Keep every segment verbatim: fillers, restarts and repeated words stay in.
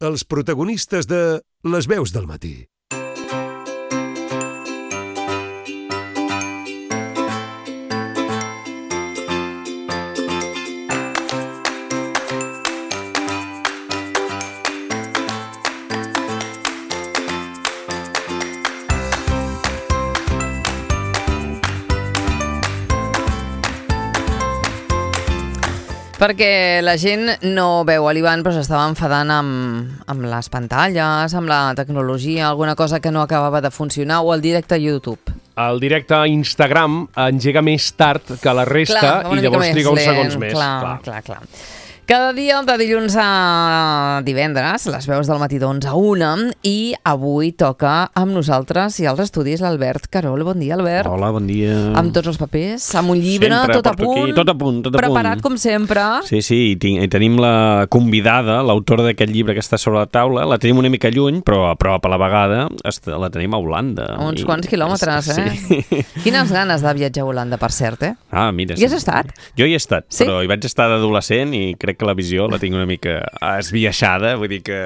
els protagonistes de Les veus del matí. Perquè la gent no veu a l'Ivan, però s'estava enfadant amb, amb les pantalles, amb la tecnologia, alguna cosa que no acabava de funcionar, o el directe a YouTube. El directe a Instagram engega més tard que la resta, clar, i llavors triga uns segons més. Clar, clar, clar. clar. Cada dia, de dilluns a divendres, les veus del matí d'onze a una, i avui toca amb nosaltres i als estudis l'Albert Carol. Bon dia, Albert. Hola, bon dia. Amb tots els papers, amb un llibre, sempre tot a punt. Aquí, tot a punt, tot a preparat, punt. com sempre. Sí, sí, i, tin i tenim la convidada, l'autora d'aquest llibre que està sobre la taula. La tenim una mica lluny, però a prop a la vegada la tenim a Holanda. A uns I... quants quilòmetres, eh? Sí. Quines ganes de viatjar a Holanda, per cert, eh? Ah, mira. Hi has estat? Jo hi he estat, sí? Però hi vaig estar d'adolescent i crec que la visió la tinc una mica esbiaixada, vull dir que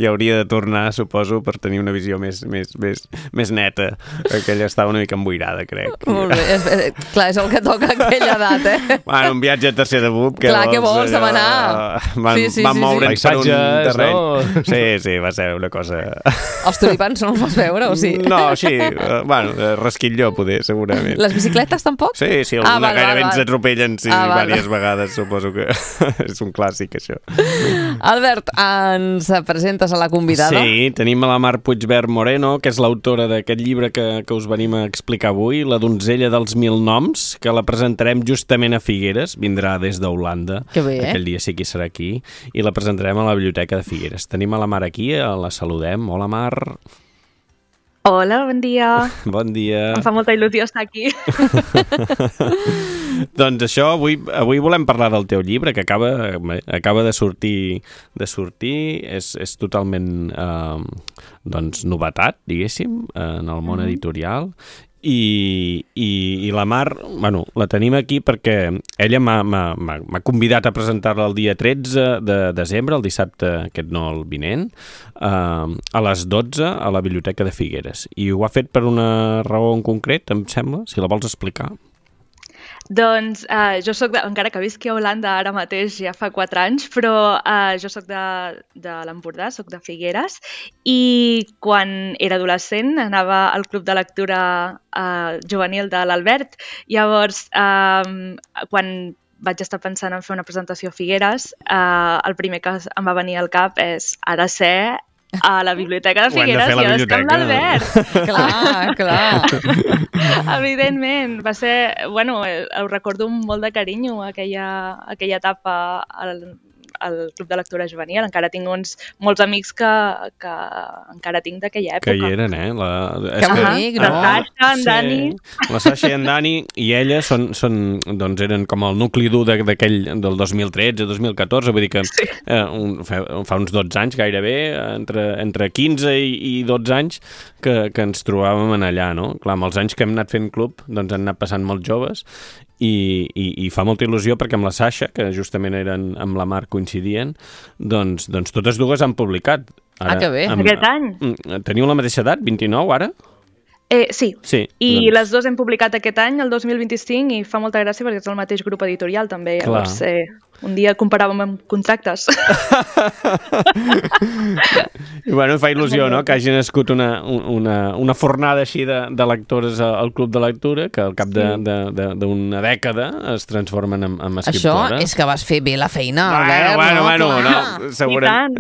hi hauria de tornar, suposo, per tenir una visió més, més, més, més neta. Aquella estava una mica emboirada, crec. Molt bé. És, és, clar, és el que toca a aquella edat, eh? Bueno, un viatge a tercer de bub. Clar, què vols allò, demanar? Van, sí, sí, van sí, moure'ns sí. per un terreny. No? Sí, sí, va ser una cosa... Els tulipans no els vas veure, o sí? No, sí, uh, bueno, rasquilló, poder, segurament. Les bicicletes, tampoc? Sí, sí, alguna ah, val, gairebé val, ens atropellen, sí, ah, val, diverses val. vegades, suposo que és un clàssic, això. Albert, ens presentes a la convidada? Sí, tenim a la Mar Puigvert Moreno, que és l'autora d'aquest llibre que, que us venim a explicar avui, La donzella dels mil noms, que la presentarem justament a Figueres, vindrà des d'Holanda. Que bé, eh? Aquell dia sí que serà aquí, i la presentarem a la Biblioteca de Figueres. Tenim a la Mar aquí, la saludem. Hola, Mar. Hola, bon dia. Bon dia. Em fa molta il·lusió estar aquí. Doncs això, avui, avui volem parlar del teu llibre, que acaba, acaba de sortir, de sortir és, és totalment eh, doncs, novetat, diguéssim, en el món mm-hmm. editorial. I, i, i la Mar, bueno, la tenim aquí perquè ella m'ha convidat a presentar-la el dia tretze de desembre, el dissabte, aquest no, el vinent, eh, a les dotze a la Biblioteca de Figueres. I ho ha fet per una raó en concret, em sembla, si la vols explicar. Doncs eh, jo soc, de, encara que visqui a Holanda ara mateix ja fa quatre anys, però eh, jo soc de, de l'Empordà, soc de Figueres, i quan era adolescent anava al club de lectura eh, juvenil de l'Albert. Llavors, eh, quan vaig estar pensant en fer una presentació a Figueres, eh, el primer que em va venir al cap és ha de ser a la Biblioteca de Figueres i ha de ser amb l'Albert. Clar, clar. Evidentment, va ser, bueno, ho recordo amb molt de carinyo, aquella, aquella etapa al, al Club de Lectura Juvenil. Encara tinc uns molts amics que, que encara tinc d'aquella època. Que hi eren, eh? La... Que bonic, no? La Sasha, en sí. Dani... La Sasha i en Dani i ella són, són, doncs eren com el nucli dur d'aquell del dos mil tretze dos mil catorze, vull dir que sí. eh, un, fa, fa uns dotze anys gairebé, entre, entre quinze i, i dotze anys que, que ens trobàvem en allà, no? Clar, amb els anys que hem anat fent club, doncs han anat passant molts joves i, i, i fa molta il·lusió perquè amb la Sasha, que justament eren amb la Mar coincidien, doncs, doncs totes dues han publicat. Ara, ah, que bé. Amb, aquest any. Teniu la mateixa edat, vint-i-nou ara? Eh, sí. sí, i doncs... les dues hem publicat aquest any, el dos mil vint-i-cinc, i fa molta gràcia perquè és el mateix grup editorial també, llavors eh, un dia comparàvem amb contractes. I bueno, fa il·lusió, no?, que hagi nascut una, una, una fornada així de, de lectores al Club de Lectura, que al cap d'una de, de, de, dècada es transformen en, en escriptores. Això és que vas fer bé la feina, bueno, Albert, bueno, no? Bueno, Clar. no, segurament.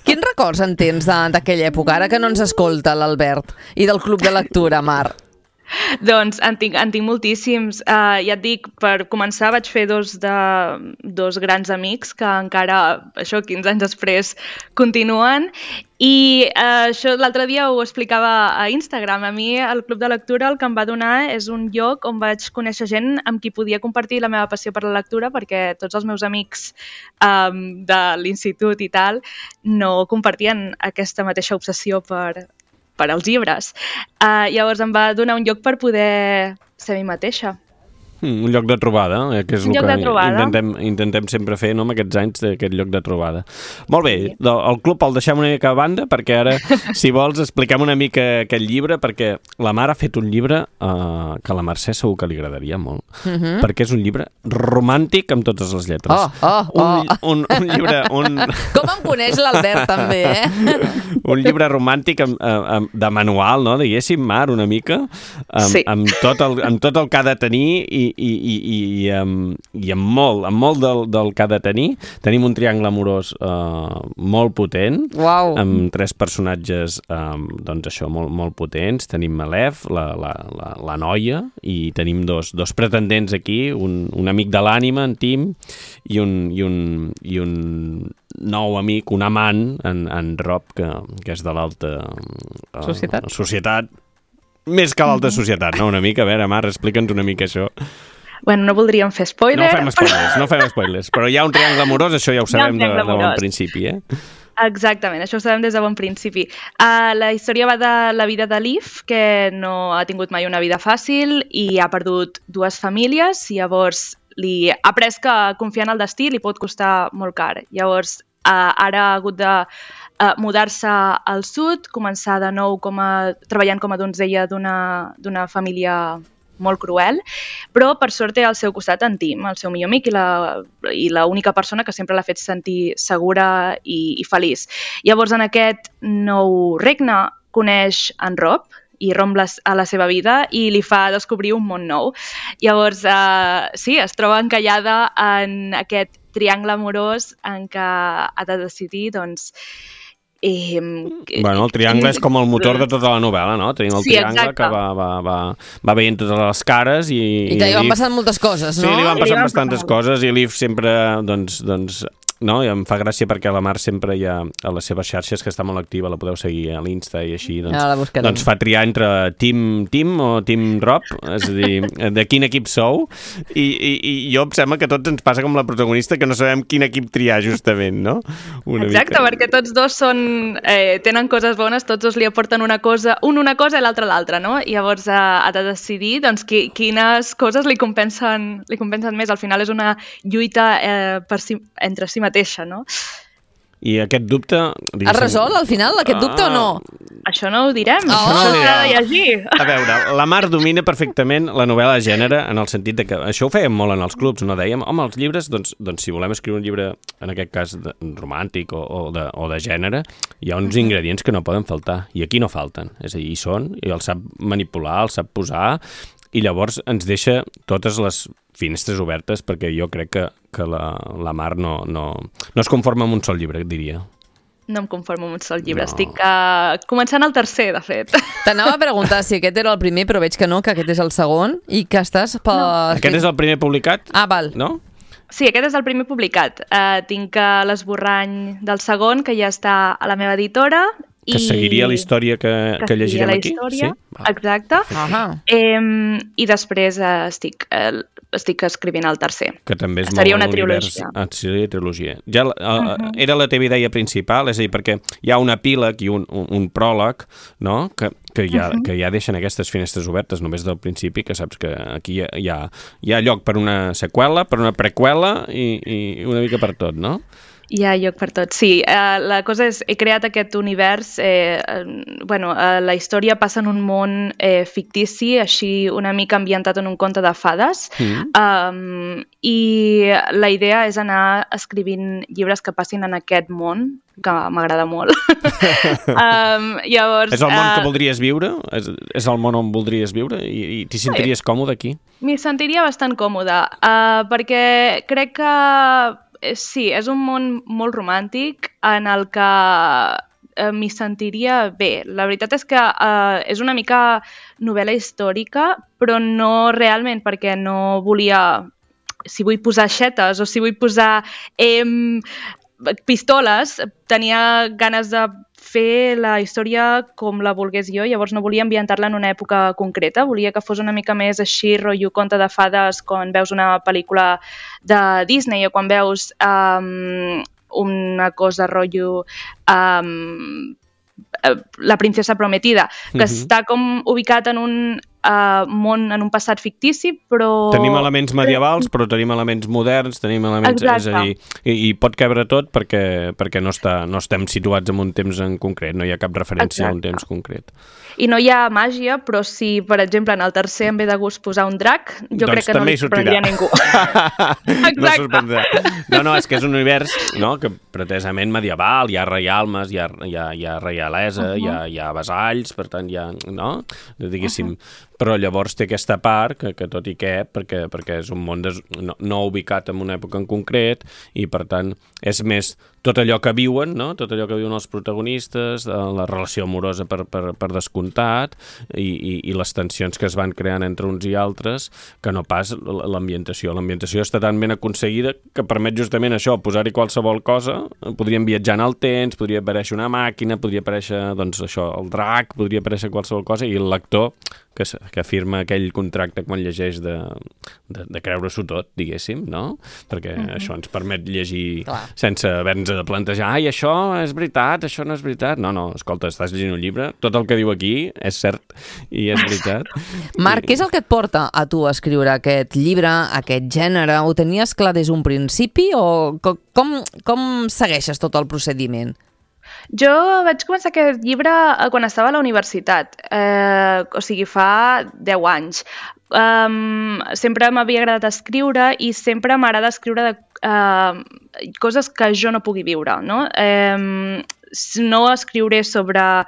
Quins records en tens d'aquella època, ara que no ens escolta l'Albert, i del Club de Lectura, Mar? Doncs en tinc, en tinc moltíssims. Uh, ja et dic, per començar vaig fer dos, de, dos grans amics que encara, això, quinze anys després, continuen. I uh, això l'altre dia ho explicava a Instagram. A mi el Club de Lectura el que em va donar és un lloc on vaig conèixer gent amb qui podia compartir la meva passió per la lectura, perquè tots els meus amics um, de l'institut i tal no compartien aquesta mateixa obsessió per... per als llibres. Uh, llavors em va donar un lloc per poder ser mi mateixa. Mm, un lloc de trobada, eh, que és un el que intentem, intentem sempre fer, no?, amb aquests anys d'aquest lloc de trobada. Molt bé, sí. El club el deixem una mica a banda, perquè ara, si vols, expliquem una mica aquest llibre, perquè la Mar ha fet un llibre eh, que a la Mercè segur que li agradaria molt, uh-huh. perquè és un llibre romàntic amb totes les lletres. Oh, oh, oh. Un, un, un llibre... Un... Com em coneix l'Albert, també, eh? Un llibre romàntic amb, amb, de manual, no?, diguéssim, Mar, una mica, amb, sí. amb, tot el, amb tot el que ha de tenir i I, i, i, i, um, i amb molt, amb molt del, del que ha de tenir. Tenim un triangle amorós uh, molt potent, wow. amb tres personatges um, doncs això, molt, molt potents. Tenim Malef, la, la, la, la noia, i tenim dos, dos pretendents aquí, un, un amic de l'ànima, en Tim, i un, i un, i un nou amic, un amant, en, en Rob, que, que és de l'alta uh, societat. societat. Més que l'alta societat, no? Una mica, a veure, Mar, explica'ns una mica això. Bueno, no voldríem fer spoiler. No fem spoilers, no fem spoilers, però hi ha un triangle amorós, això ja ho sabem de, de bon principi, eh? Exactament, això ho sabem des de bon principi. Uh, la història va de la vida de Liv, que no ha tingut mai una vida fàcil i ha perdut dues famílies, i llavors li ha après que confiar en el destí li pot costar molt car. Llavors, uh, ara ha hagut de Uh, mudar-se al sud, començar de nou com a, treballant com a donzella d'una família molt cruel, però per sort té al seu costat en Tim, el seu millor amic i la, i la única persona que sempre l'ha fet sentir segura i, i feliç. Llavors, en aquest nou regne, coneix en Rob i romp les, a la seva vida i li fa descobrir un món nou. Llavors, uh, sí, es troba encallada en aquest triangle amorós en què ha de decidir, doncs, Eh, bueno, el triangle és com el motor de tota la novel·la, no? Tenim el sí, triangle exacte. que va, va, va, va veient totes les cares i... I que li van passant moltes coses, no? Sí, li van passant li van bastantes passant coses i Liv sempre, doncs, doncs no? I em fa gràcia perquè la Mar sempre hi ha a les seves xarxes, que està molt activa, la podeu seguir a l'Insta i així, doncs, ja doncs fa triar entre Team Tim o Team Rob, és a dir, de quin equip sou, i, i, i jo em sembla que tots ens passa com la protagonista, que no sabem quin equip triar justament, no? Una Exacte, mica. Perquè tots dos són, eh, tenen coses bones, tots dos li aporten una cosa, un una cosa i l'altre l'altra, no? I llavors eh, ha de decidir doncs, qui, quines coses li compensen, li compensen més. Al final és una lluita eh, per si, entre si mateixa, no? I aquest dubte... Has resolt al final aquest dubte ah, o no? Això no ho direm, oh. això no s'ha de llegir. A veure, la Mar domina perfectament la novel·la de gènere en el sentit de que això ho fèiem molt en els clubs, no? Dèiem, home, els llibres, doncs, doncs si volem escriure un llibre, en aquest cas de, romàntic o, o, de, o de gènere, hi ha uns ingredients que no poden faltar, i aquí no falten. És a dir, hi són, i els sap manipular, els sap posar, i llavors ens deixa totes les finestres obertes, perquè jo crec que, que la, la Mar no, no, no es conforma amb un sol llibre, diria. No em conformo amb un sol llibre. No. Estic uh, començant el tercer, de fet. T'anava a preguntar si aquest era el primer, però veig que no, que aquest és el segon, i que estàs... Per... No. Aquest és el primer publicat? Ah, val. No? Sí, aquest és el primer publicat. Uh, tinc uh, l'esborrany del segon, que ja està a la meva editora. Que i... seguiria la història que, que, que llegirem aquí? Història, sí? Exacte. Uh -huh. eh, I després uh, estic, uh, estic escrivint el tercer. Que també és seria molt una trilogia. Ah, seria trilogia. Ja, uh, uh -huh. Era la teva idea principal, és a dir, perquè hi ha un epíleg i un, un, un pròleg, no?, que, que, ja, uh -huh. que ja deixen aquestes finestres obertes només del principi, que saps que aquí hi ha, hi ha, hi ha lloc per una seqüela, per una preqüela i, i una mica per tot, no? Hi ha lloc per tot, sí. Uh, la cosa és, he creat aquest univers, eh, uh, bueno, uh, la història passa en un món eh, fictici, així una mica ambientat en un conte de fades, mm. um, i la idea és anar escrivint llibres que passin en aquest món, que m'agrada molt. um, llavors, és el món uh, que voldries viure? És, és el món on voldries viure? I, i t'hi sentiries sí. còmode aquí? M'hi sentiria bastant còmode, uh, perquè crec que sí, és un món molt romàntic en el que eh, m'hi sentiria bé. La veritat és que eh, és una mica novel·la històrica, però no realment, perquè no volia... Si vull posar xetes o si vull posar eh, pistoles, tenia ganes de fer la història com la volgués jo, llavors no volia ambientar-la en una època concreta, volia que fos una mica més així, rotllo conte de fades, quan veus una pel·lícula de Disney o quan veus um, una cosa rotllo um, La princesa prometida, que uh-huh. està com ubicat en un uh, món en un passat fictici, però... Tenim elements medievals, però tenim elements moderns, tenim elements... Exacte. És a dir, i, i pot cabre tot perquè, perquè no, està, no estem situats en un temps en concret, no hi ha cap referència Exacte. a un temps concret. I no hi ha màgia, però si, per exemple, en el tercer em ve de gust posar un drac, jo doncs crec que no li sorprendria a ningú. Exacte. No, no, no, és que és un univers, no?, que pretesament medieval, hi ha reialmes, hi ha, hi ha, hi ha reialesa, uh -huh. hi, ha, hi ha vassalls, per tant hi ha... no? Diguéssim... Uh -huh. Però llavors té aquesta part que, que tot i què, perquè, perquè és un món des, no, no ubicat en una època en concret i per tant és més tot allò que viuen, no? Tot allò que viuen els protagonistes, la relació amorosa per, per, per descomptat i, i, i les tensions que es van creant entre uns i altres, que no pas l'ambientació. L'ambientació està tan ben aconseguida que permet justament això, posar-hi qualsevol cosa, podríem viatjar en el temps, podria aparèixer una màquina, podria aparèixer, doncs això, el drac, podria aparèixer qualsevol cosa i el lector que, que firma aquell contracte quan llegeix de, de, de creure-s'ho tot, diguéssim, no? Perquè mm-hmm. això ens permet llegir Clar. sense haver-nos de plantejar ai, això és veritat, això no és veritat. No, no, escolta, estàs llegint un llibre, tot el que diu aquí és cert i és veritat. Marc, què és el que et porta a tu a escriure aquest llibre, aquest gènere? Ho tenies clar des d'un principi o com, com segueixes tot el procediment? Jo vaig començar aquest llibre quan estava a la universitat, eh, o sigui, fa deu anys. Um, sempre m'havia agradat escriure i sempre m'agrada escriure de uh, coses que jo no pugui viure, no? Um, no escriuré sobre...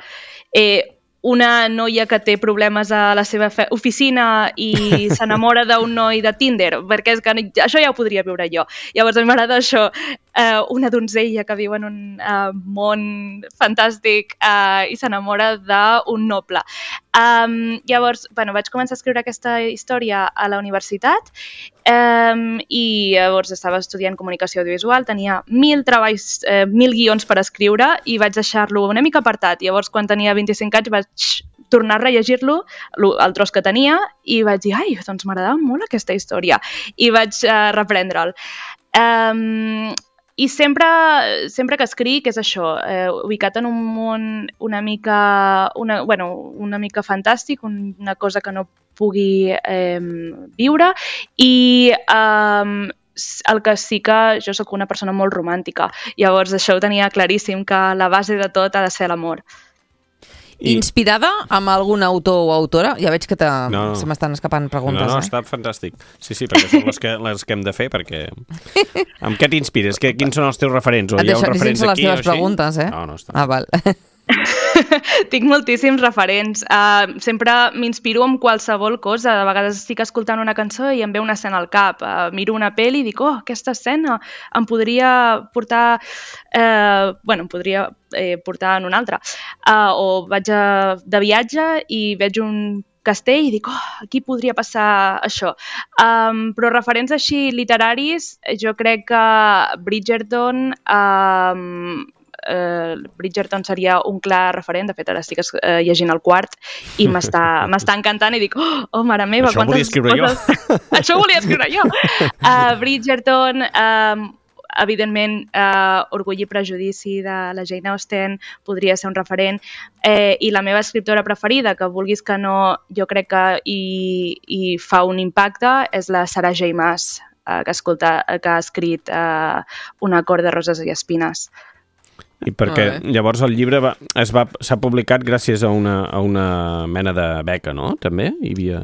Eh, una noia que té problemes a la seva oficina i s'enamora d'un noi de Tinder, perquè és que això ja ho podria viure jo. Llavors m'agrada això, eh, una donzella que viu en un eh, món fantàstic eh, i s'enamora d'un noble. Um, llavors, bueno, vaig començar a escriure aquesta història a la universitat um, i llavors estava estudiant comunicació audiovisual, tenia mil treballs, eh, mil guions per escriure i vaig deixar-lo una mica apartat. Llavors, quan tenia vint-i-cinc anys, vaig tornar a rellegir-lo, el tros que tenia, i vaig dir, ai, doncs m'agradava molt aquesta història. I vaig uh, reprendre'l. Um, I sempre, sempre que escric és això, eh, ubicat en un món una mica, una, bueno, una mica fantàstic, una cosa que no pugui eh, viure, i eh, el que sí que jo sóc una persona molt romàntica. Llavors això ho tenia claríssim, que la base de tot ha de ser l'amor. I... Inspirada amb algun autor o autora? Ja veig que te... no, no. se m'estan escapant preguntes. No, no, eh? està fantàstic. Sí, sí, perquè són les que, les que hem de fer, perquè... Amb què t'inspires? Que, quins són els teus referents? O hi ha un referents aquí les teves preguntes, eh? No, no està. Ah, val. Tinc moltíssims referents. Uh, sempre m'inspiro en qualsevol cosa. De vegades estic escoltant una cançó i em ve una escena al cap. Uh, miro una pel·li i dic, oh, aquesta escena em podria portar... Uh, bueno, em podria eh, portar en una altra. Uh, o vaig a, de viatge i veig un castell i dic, oh, aquí podria passar això. Um, però referents així literaris, jo crec que Bridgerton... Um, Uh, Bridgerton seria un clar referent. De fet, ara estic uh, llegint el quart i m'està encantant i dic, oh, oh mare meva, això quantes volia escriure coses... jo. Això ho volia escriure jo. Uh, Bridgerton, um, evidentment, uh, Orgull i prejudici de la Jane Austen podria ser un referent, eh, i la meva escriptora preferida, que vulguis que no, jo crec que hi, hi fa un impacte, és la Sarah J. Maas, uh, que, escolta, que ha escrit uh, Una cort de roses i espines. I perquè llavors el llibre va, es va, s'ha publicat gràcies a una, a una mena de beca, no? També hi havia...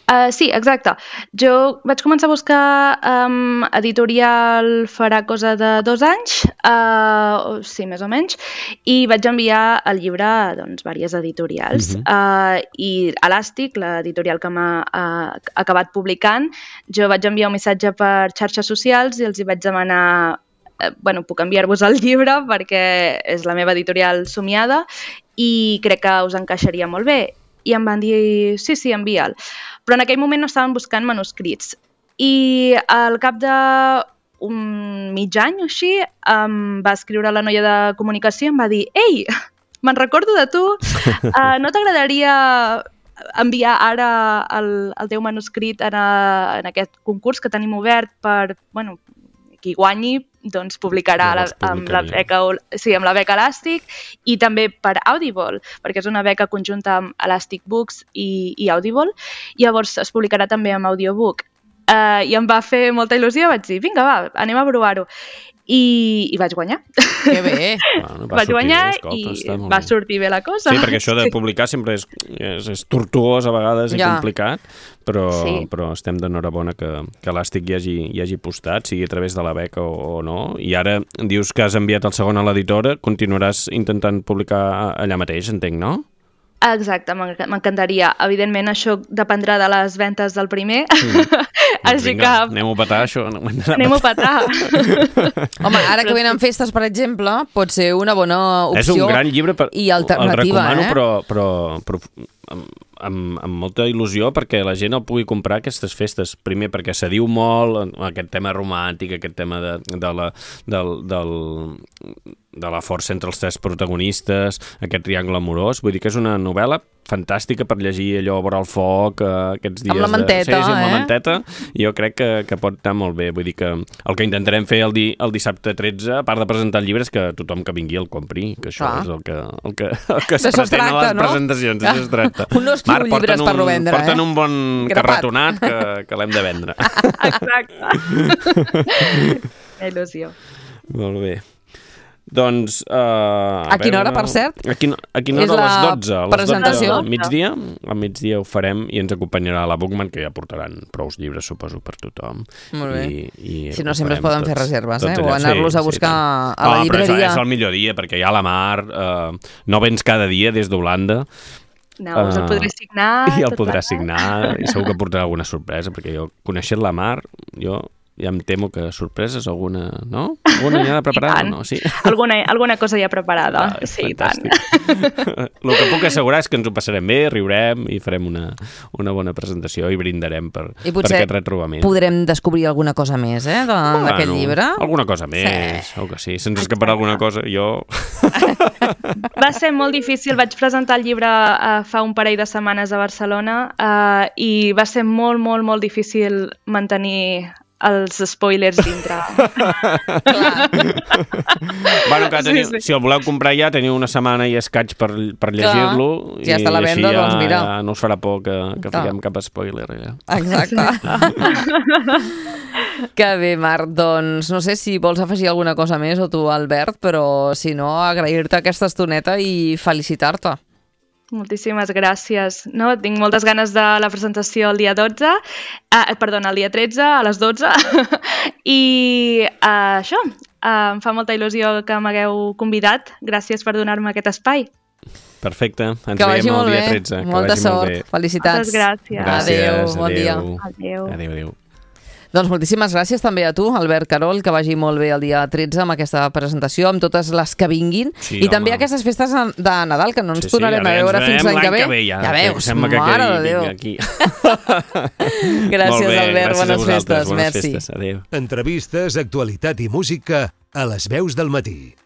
Uh, sí, exacte. Jo vaig començar a buscar um, editorial farà cosa de dos anys, uh, sí, més o menys, i vaig enviar el llibre a doncs, diverses editorials. Uh-huh. uh, I Elàstic, l'editorial que m'ha uh, acabat publicant, jo vaig enviar un missatge per xarxes socials i els hi vaig demanar bueno, puc enviar-vos el llibre perquè és la meva editorial somiada i crec que us encaixaria molt bé. I em van dir, sí, sí, envia'l. Però en aquell moment no estaven buscant manuscrits. I al cap d'un mig any o així em va escriure la noia de comunicació i em va dir, ei, me'n recordo de tu, uh, no t'agradaria enviar ara el, el teu manuscrit en, a, en aquest concurs que tenim obert per, bueno, qui guanyi doncs publicarà la, amb, la beca, sí, amb la beca Elàstic i també per Audible, perquè és una beca conjunta amb Elastic Books i, i Audible. Llavors es publicarà també amb Audiobook. Uh, I em va fer molta il·lusió, vaig dir, vinga, va, anem a provar-ho. I, i vaig guanyar. Que bé! Bueno, vaig guanyar bé, escolta, i va sortir bé la cosa. Sí, perquè això de publicar sempre és, és, és tortuós a vegades i ja. complicat, però, sí. però estem d'enhorabona que, que Elàstic hi hagi, hi hagi postat, sigui a través de la beca o, o no. I ara dius que has enviat el segon a l'editora, continuaràs intentant publicar allà mateix, entenc, no? Exacte, m'encantaria. Evidentment, això dependrà de les ventes del primer. Mm. Així Vinga, que... anem-ho a petar, això. Anem-ho a petar. Home, ara que venen festes, per exemple, pot ser una bona opció. És un gran llibre per... i alternativa, el recomano, eh? però, però, però amb, amb, amb molta il·lusió perquè la gent el pugui comprar aquestes festes. Primer, perquè se diu molt aquest tema romàntic, aquest tema de, de la... Del, del, de la força entre els tres protagonistes, aquest triangle amorós. Vull dir que és una novel·la fantàstica per llegir allò a vora el foc, eh, aquests dies... Amb la manteta, de... sí, sí, amb eh? la manteta. I jo crec que, que pot anar molt bé. Vull dir que el que intentarem fer el, di, el dissabte tretze, a part de presentar el llibre, és que tothom que vingui el compri, que això Clar. és el que, el que, el que es D'això pretén tracta, a les no? presentacions. D'això es tracta. Un no escriu Marc, llibres un, per vendre, porten eh? un bon Grapat. carretonat que, que l'hem de vendre. Exacte. Que il·lusió. Molt bé. Doncs... Uh, a, a quina hora, per cert? A quina, a quina hora? A les dotze. A les presentació. dotze al migdia. Al migdia ho farem i ens acompanyarà la Bookman, que ja portaran prous llibres, suposo, per tothom. Molt bé. I, i si no, sempre es poden tots, fer reserves, eh? O allà. anar-los sí, a buscar sí, a la oh, llibreria. Però és, és el millor dia, perquè hi ha la mar, uh, no vens cada dia des d'Holanda. No, us el podré signar. I el podrà signar, i segur que portarà alguna sorpresa, perquè jo, coneixent la mar, jo... ja em temo que sorpreses alguna, no? Alguna ja de preparada, no? Sí. Alguna, alguna cosa ja preparada, ah, sí, i tant. El que puc assegurar és que ens ho passarem bé, riurem i farem una, una bona presentació i brindarem per, per aquest retrobament. I podrem descobrir alguna cosa més, eh, d'aquest bueno, llibre? Alguna cosa més, sí. Segur que sí. Se'ns escaparà alguna cosa, jo... Va ser molt difícil, vaig presentar el llibre uh, fa un parell de setmanes a Barcelona uh, i va ser molt, molt, molt difícil mantenir els spoilers dintre. Bueno, que teniu, sí, sí. Si el voleu comprar ja, teniu una setmana i escaig per, per llegir-lo. Ja està a la venda, ja, doncs mira. Ja no us farà por que, que fiquem cap spoiler. Ja. Exacte. Que bé, Marc. Doncs no sé si vols afegir alguna cosa més o tu, Albert, però si no, agrair-te aquesta estoneta i felicitar-te. Moltíssimes gràcies. No, tinc moltes ganes de la presentació el dia dotze, eh, perdona, el dia tretze, a les dotze, i eh, això, eh, em fa molta il·lusió que m'hagueu convidat. Gràcies per donar-me aquest espai. Perfecte, ens que veiem el dia tretze. Molta sort, molt bé. Felicitats. Moltes gràcies. Adéu, gràcies, bon dia. Adéu. Adéu, adéu. Doncs moltíssimes gràcies també a tu, Albert Carol, que vagi molt bé el dia tretze amb aquesta presentació, amb totes les que vinguin, sí, i home. també aquestes festes de Nadal, que no ens sí, sí, tornarem a veure fins l'any que ve. ve ja, ja veus, que mare de Déu. Aquí. Gràcies, bé, Albert, gràcies bones festes. Bones merci. festes, adéu. Entrevistes, actualitat i música a les veus del matí.